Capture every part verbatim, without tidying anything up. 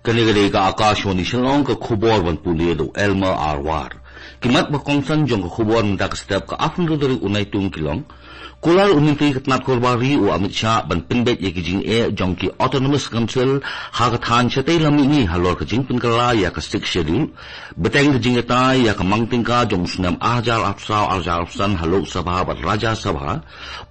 Kane ka dei ka Akashvani Shillong, ka khubor ban pule da u Elmer Arwar. Ki mat ba kongsan jong ka khubor mynta ka step. Ka arphew tarik u Naitung ki long: Kular u Myntri ka tnat Korbari u Amit Shah ban pynbeit ïa ki jingeh jong ki Autonomous Council ha ka thaiñ shatei lam mihngi halor ka jingpynkylla ïa ka Sixth Schedule. Bteng ka jingïatai ïa ka mang tyngka jong u snem ar hajar arphew saw ar hajar arphew san ha Lok Sabha bad Rajya Sabha,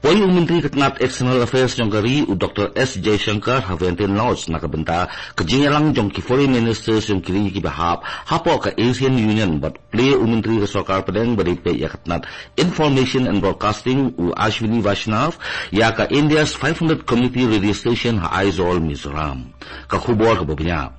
poi u Myntri ka tnat External Affairs jong ka ri u Doctor S Jaishankar ha Wellington Lodge na ka bynta ka jingïalang jong ki Foreign Ministers jong ki ri kiba hap hapoh ka ASEAN Union, bad plie u Myntri ka Sorkar Pdeng ba dei peit ïa ka tnat Information and Broadcasting u Ashwini Vaishnaw ïa ka India's five hundred Community Radio Station ha Aizawl, Mizoram. Ka khubor kaba bniah: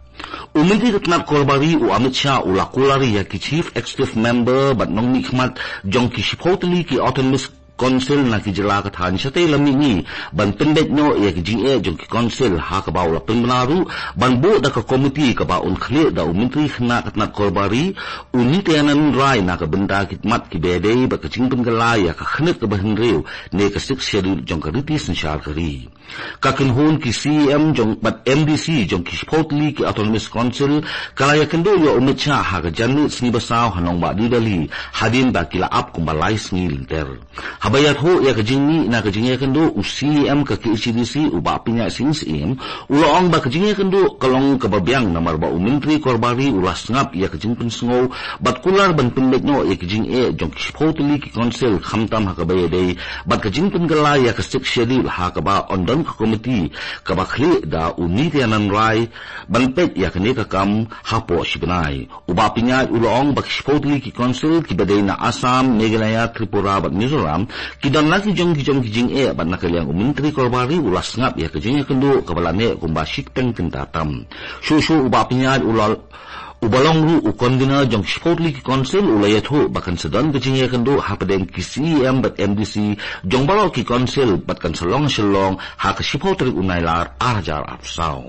U Myntri ka tnat Korbari u Amit Shah u la kular ïa ki Chief Executive Member bad nongmihkhmat jong ki shiphew tylli ki Autonomous Council na ki jylla ka thaiñ shatei lam mihngi ban pynbeit noh ïa ki jingeh jong ki Council, ha kaba u la pynbna ruh ban buh da ka komiti kaba un khlieh da u Myntri khynnah ka tnat Korbari u Nityanand Rai na ka bynta ki mat kiba ïadei bad ka jingpynkylla ïa ka khyrnit kaba hynriew ne ka Sixth Schedule jong ka riti synshar ka ri. Ka kynhun ki CEM jong bad MDC jong ki shiphew tylli ki Autonomous Council ka la ïakynduh ïa u Amit Shah ha ka janmiet sngi ba saw ha nongbah New Delhi, hadien ba ki la ap kumba lai sngi lynter. Haba ïathuh ïa ka jingmih na ka jingïakynduh, u CEM ka KHADC u Bah Pynïaid Sing Syiem u la ong ba ka jingïakynduh ka long kaba biang namar ba u Myntri Korbari u la sngap ïa ka jingpynsngew bad kular ban pynbeit noh ïa ka jingeh jong ki shiphew tylli ki Council, khamtam ha kaba ïadei bad ka jingpynkylla ïa ka Sixth Schedule, ha kaba un don ka komiti kaba khlieh da u Nityanand Rai ban peit ïa kane ka kam hapoh shi bnai. U Bah Pynïaid u la ong ba ki shiphew tylli ki Council kiba dei na Assam, Meghalaya, Tripura bad Mizoram ki don la ki jong ki jong ki jingeh, bad na ka liang u Myntri Korbari u la sngap ïa ka jingïakynduh kaba la neh kumba shi teng kynta tam. Shuh shuh u Bah Pynïaid u la uba long ruh u Convener jong ki shiphew tylli ki Council u la ïathuh ba kan sa don ka jingïakynduh hapdeng ki CEM bad MDC jong baroh ki Council bad kan sa long ha Shillong ha ka shiphew tarik u Nailar ar hajar arphew saw.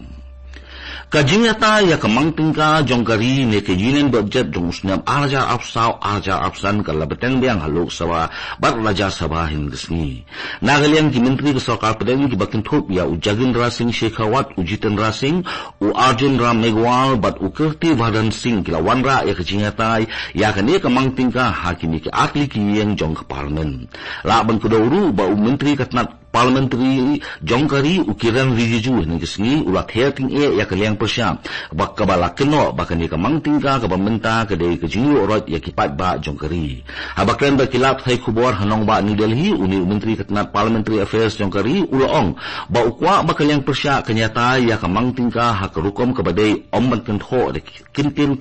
Ka jingïatai ïa ka mang tyngka jong ka ri ne ka Union Budget jong u snem ar hajar arphew saw ar hajar arphew san ka la bteng biang ha Lok Sabha bad Rajya Sabha hynne ka sngi. Na ka liang ki Myntri ka Sorkar Pdeng kiba kynthup ïa u Gajendra Singh Shekhawat, u Jitendra Singh, u Arjun Ram Meghwal bad u Kirti Vardhan Singh ki la wanrah ïa ka jingïatai ïa kane ka mang tyngka ha kine ki artylli ki ïing jong ka Parliament. Lah ban kdew ruh ba u Myntri ka tnat Parliamentary jong ka ri u Kiren Rijiju hynne ka sngi u la ther tyngeh ïa ka liang pyrshah ba kaba la kynnoh ba kane ka mang tyngka kaba mynta ka dei ka jingïoh roit ïa ki paidbah jong ka ri. Haba kren bad ki lad pathai khubor ha nongbah New Delhi, une u Myntri ka tnat Parliamentary Affairs jong ka ri u la ong ba u kwah ba ka liang pyrshah kan ïatai ïa ka mang tyngka ha ka rukom kaba dei, ym ban kynthoh da ki kyntien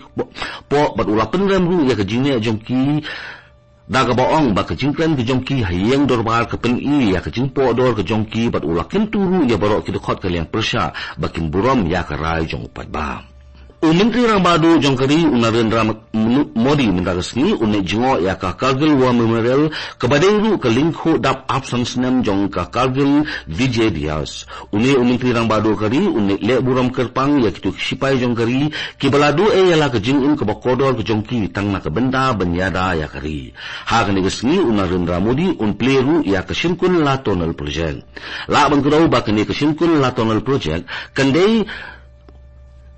poh, bad u la pynrem ruh ïa ka jingneh jong ki da kaba ong ba ka jingkren ka jong ki ha ïing dorbar ka pyni ïa ka jingpoh dor ka jong ki, bad u la kyntu ruh ïa baroh ki dkhot ka liang pyrshah ba kin burom ïa ka rai jong u paidbah. U Myntri Rangbah Duh jong ka ri u Narendra Modi mynta ka sngi un leit jngoh ïa ka Kargil War Memorial kaba dei ruh ka lyngkhuh dap arphew san snem jong ka Kargil Vijay Diwas. Une u Myntri Rangbah Duh ka ri un leit leh burom kyrpang ïa kito ki shipai jong ka ri kiba la duh ei ïa la ka jingim kaba kordor ka jong ki tang na ka bynta ban ïada ïa ka ri. Ha kane ka sngi u Narendra Modi un plie ruh ïa ka Shynkunla Tunnel Project. Lah ban kdew ba kane ka Shynkunla Tunnel Project kan dei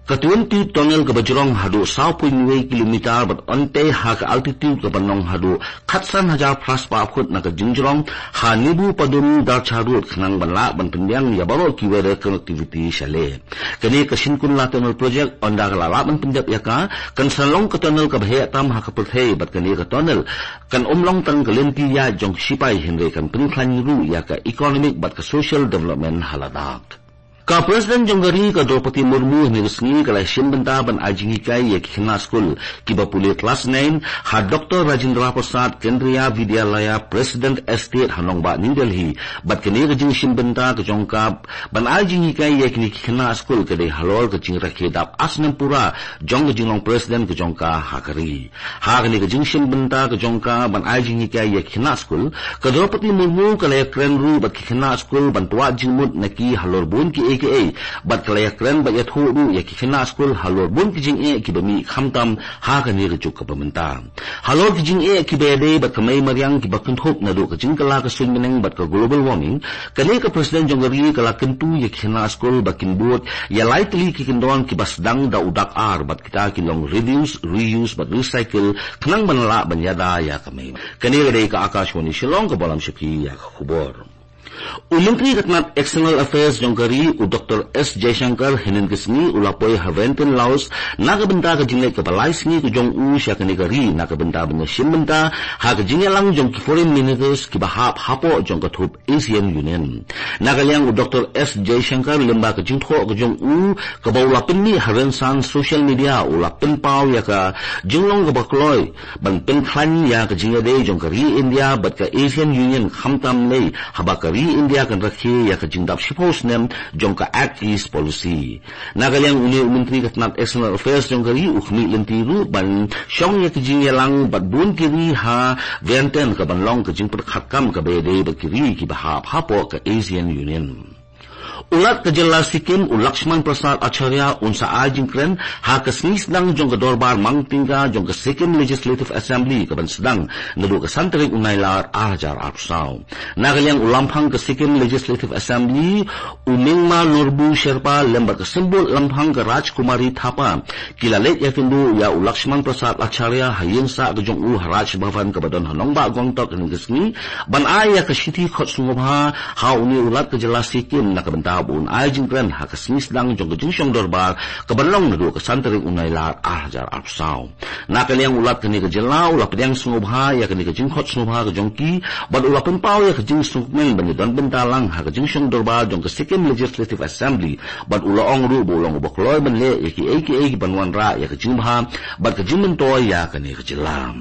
ka twenty tunnel kaba jrong haduh saw point wei kilometer bad un tei ha ka altitude kaba nong haduh khatsan hajar phra spah phut na ka jingjrong ha Nibu Padum Darcha Road khnang ban lah ban pynbiang ïa baroh ki weather connectivity shaleh. Kane ka Shynkunla Tunnel Project, ynda ka la lah ban pyndep ïa ka, kan sa long ka tunnel kaba heh tam ha ka pyrthei, bad kane ka tunnel kan ym long tang ka lynti ïaid jong ki shipai hynrei kan pynkhlaiñ ruh ïa ka economic bad ka social development ha Ladakh. Ka President jong ka ri ka Droupadi Murmu hynne ka sngi ka la shim bynta ban ai jinghikai ïa ki khynnah skul kiba pule klas nine ha Doctor Rajendra Prasad Kendriya Vidyalaya President Estate ha nongbah New Delhi. Bad kane ka jingshim bynta ka jong ka ban ai jinghikai ïa kine ki khynnah skul ka dei halor ka jingrakhe dap ar snem pura jong ka jinglong President ka jong ka ha ka ri. Ha kane ka jingshim bynta ka jong ka ban ai jinghikai ïa ki khynnah skul, ka Droupadi Murmu ka la ïakren ruh bad ki khynnah skul ban twad jingmut na ki halor bun ki K A, bad ka la ïakren bad ïathuh ruh ïa ki khynnah skul halor bun ki jingeh kiba mih khamtam ha kane ka juk kaba mynta. Halor ki jingeh kiba ïadei bad ka mei mariang kiba kynthup naduh ka jingkylla ka suiñ bneng bad ka global warming, kane ka president jong ka ri ka la kyntu ïa ki khynnah skul ba kin bud ïa lai tylli ki kyndon kiba sdang da u dak ar bad kita ki long reduce, reuse bad recycle khnang ban lah ban ïada ïa ka mei. Kane ka dei ka Akashvani Shillong kaba lam sha phi ïa ka khubor. U Myntri ka tnat External Affairs jong ka ri, u Doctor S Jaishankar, hynnin ka sngi u la poi ha Vientiane, Laos na ka bynta ka jingleit kaba lai sngi ka jong u sha kane ka ri na ka bynta ban ïashim bynta ha ka jingïalang jong ki foreign ministers kiba hap hapoh jong ka thup ASEAN Union. Na ka liang u Doctor S Jaishankar, lyngba ka jingthoh ka jong u kaba u la pynmih ha rynsan social media, u la pynpaw ïa ka jinglong kaba kloi ban pynkhlaiñ ïa ka jingïadei jong ka ri India bad ka ASEAN Union, khamtam lei haba ka ri India kan rakhe ïa ka jingdap shiphew snem jong ka Act East Policy. Na ka liang une u Myntri ka tnat External Affairs jong ka ri u khmih lynti ruh ban shong ïa ka jingïalang bad bun ki ri ha Vientiane, kaban long ka jingpyrkhat kam kaba ïadei bad ki ri kiba hap hapoh ka ASEAN Union. U Lat ka jylla Sikkim, u Lakshman Prasad Acharya, un sa ai jingkren ha ka sngi sdang jong ka dorbar mang tyngka jong ka Sikkim Legislative Assembly kaban sdang naduh ka san tarik u Nailar ar hajar arphew saw. Na ka liang u lamphang ka Sikkim Legislative Assembly, u Mingma Norbu Sherpa, lem bad ka symbud lamphang ka Rajkumari Thapa, ki la leit ïakynduh ïa u Lakshman Prasad Acharya ha ïing sah ka jong u ha Raj Bhavan kaba don ha nongbah Gangtok hynnin ka sngi ban ai ïa ka shithi khot sngewbha ha une u Lat ka jylla Sikkim na ka bynta ba un ai jingkren ha ka sngi sdang jong ka jingshong dorbar kaban long naduh ka san tarik u Nailar ar hajar arphew saw. Na ka liang u Lat kane ka jylla u la pdiang sngewbha ïa kane ka jingkhot sngewbha ka jong ki bad u la pynpaw ïa ka jingsngewkmen ban ïadon bynta lang ha ka jingshong dorbar jong ka Sikkim Legislative Assembly bad u la ong ruh ba u long uba kloi ban leh ïa kiei kiei kiban wanrah ïa ka jingbha bad ka jingmyntoi ïa kane ka jylla.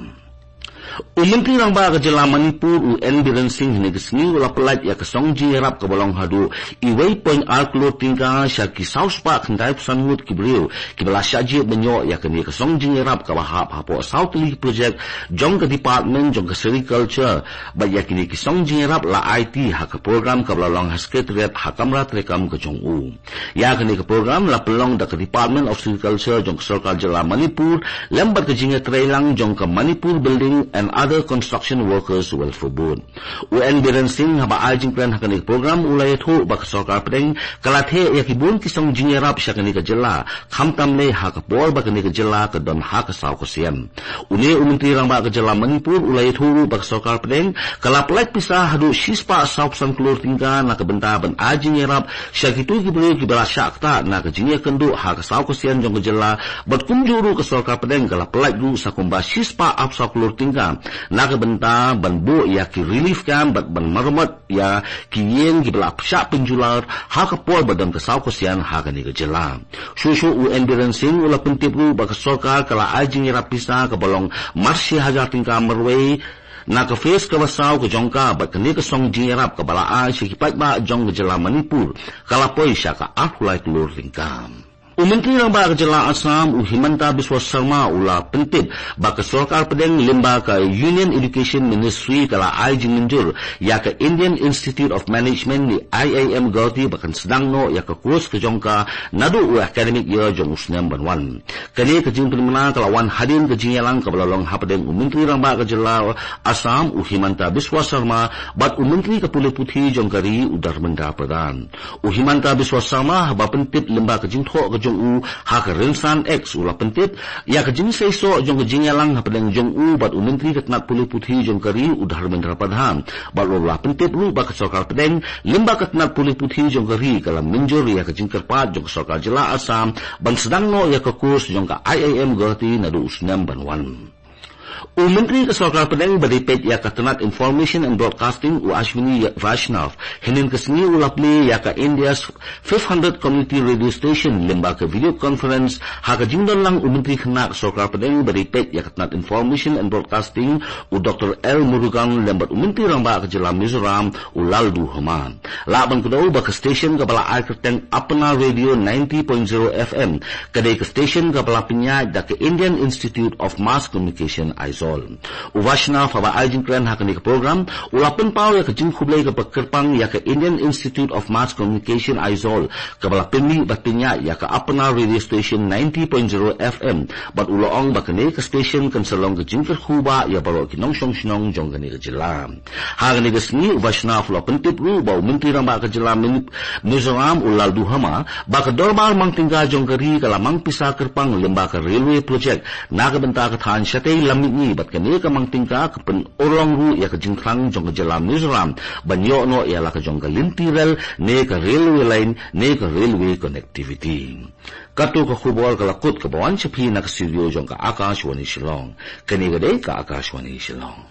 U Myntri Rangbah ka jylla Manipur, u N Biren Singh, hynne ka sngi u la pyllait ïa ka song jingïarap kaba long haduh uwei point ar klur tyngka sha ki saw spah khyndai phew san ngut ki briew kiba la shah jied ban ïoh ïa kane ka song jingïarap kaba hap hapoh saw tylli ki projek jong ka department jong ka sericulture. Bad ïa kine ki song jingïarap la aiti ha ka program kaba la long ha Secretariat ha kamra treikam ka jong u. Ïa kane ka program la pynlong da ka Department of Sericulture jong ka Sorkar Jylla Manipur lem bad ka jingïatreilang jong ka Manipur Building and Other Construction Workers Welfare Board. U N Biren Singh, haba ai jingkren ha kane ka program, u la ïathuh ba ka Sorkar Pdeng ka la theh ïa ki bun ki song jingïarap sha kane ka jylla, khamtam lei ha ka por ba kane ka jylla ka don ha ka saw ka sian. Une u Myntri Rangbah ka jylla Manipur u la ïathuh ruh ba ka Sorkar Pdeng ka la pyllait pisa haduh shispah saw phew san klur tyngka na ka bynta ban ai jingïarap sha kito ki briew kiba la shah ktah na ka jingïakynduh ha ka saw ka sian jong ka jylla, bad kumjuh ruh ka Sorkar Pdeng ka la pyllait ruh sa kumba shispah arphew saw klur tyngka na ka bynta ban buh ïa ki relief camp bad ban maramot ïa ki ïing kiba la shah pynjular ha ka por ba don ka saw ka sian ha kane ka jylla. Shuh shuh u N Biren Singh u la pyntip ruh ba ka sorkar ka la ai jingïarap pisa kaba long marshi hajar tyngka marwei na ka phase kaba saw ka jong ka, bad kane ka song jingïarap kaba la ai sha ki paidbah jong ka jylla Manipur ka la poi sha ka arphew lai klur tyngka. U Myntri Rangbah ka jylla Assam, u Himanta Biswa Sarma, u la pyntip ba ka Sorkar Pdeng lyngba ka Union Education Ministry ka la ai jingmynjur ïa ka Indian Institute of Management ne I I M Guwahati ba kan sdang noh ïa ka course ka jong ka naduh u academic year jong u snem ban wan. Kane ka jingpynbna ka la wan hadien ka jingïalang kaba la long hapdeng u Myntri Rangbah ka jylla Assam, u Himanta Biswa Sarma, bad u Myntri ka Pule Puthi jong ka ri, u Dharmendra Pradhan. U Himanta Biswa Sarma, haba pyntip lyngba ka jingthoh ka jong u ha ka rynsan X, u la pyntip ïa ka jingseisoh jong ka jingïalang hapdeng jong u bad u Myntri ka tnat Pule Puthi jong ka ri, u Dharmendra Pradhan, bad u la pyntip ruh ba ka Sorkar Pdeng lyngba ka tnat Pule Puthi jong ka ri ka la mynjur ïa ka jingkyrpad jong ka Sorkar Jylla Assam ban sdang noh ïa ka course jong ka I I M Guwahati naduh u snem ban wan. U Myntri ka Sorkar Pdeng ba dei peit ïa ka tnat Information and Broadcasting, u Ashwini Vaishnaw, hynnin ka sngi u la plie ïa ka India's five hundred Community Radio Station lyngba ka video conference ha ka jingdon lang u Myntri Khynnah ka Sorkar Pdeng ba dei peit ïa ka tnat Information and Broadcasting, u Doctor L Murugan, lem bad u Myntri Rangbah ka jylla Mizoram, u Lalduhoma. Lah ban kdew ba ka station kaba la ai kyrteng Apna Radio ninety point zero F M ka dei ka station kaba la pynïaid da ka Indian Institute of Mass Communication, Aizawl. U Vaishnav haba ai jingkren ha kane ka program, u la pynpaw ïa ka jingkhublei kaba kyrpang ïa ka Indian Institute of Mass Communication Aizawl, kaba la pynmih bad pynïaid ïa ka Apna Radio Station ninety point zero F M, bad u la ong ba kane ka station kan sa long ka jingkyrkhu ba ïa baroh ki nongshong shnong jong kane ka jylla. Ha kane ka sngi u Vaishnav u la pyntip ruh ba u Myntri Rangbah ka jylla Min-, Mizoram u Lalduhoma, ba ka dorbar mang tyngka jong ka ri ka la mang pisa kyrpang lyngba ka railway project na ka bynta ka thaiñ shatei Lammihngi, bad kane ka mang tyngka ka pynurlong ruh ïa ka jingthrang jong ka jylla Mizoram ban ïoh noh ïa la ka jong ka lynti rel ne ka railway line ne ka railway connectivity. Kato ka khubor ka la kut kaba wan sha phi na ka studio jong ka Akashvani Shillong. Kane ka dei ka Akashvani Shillong.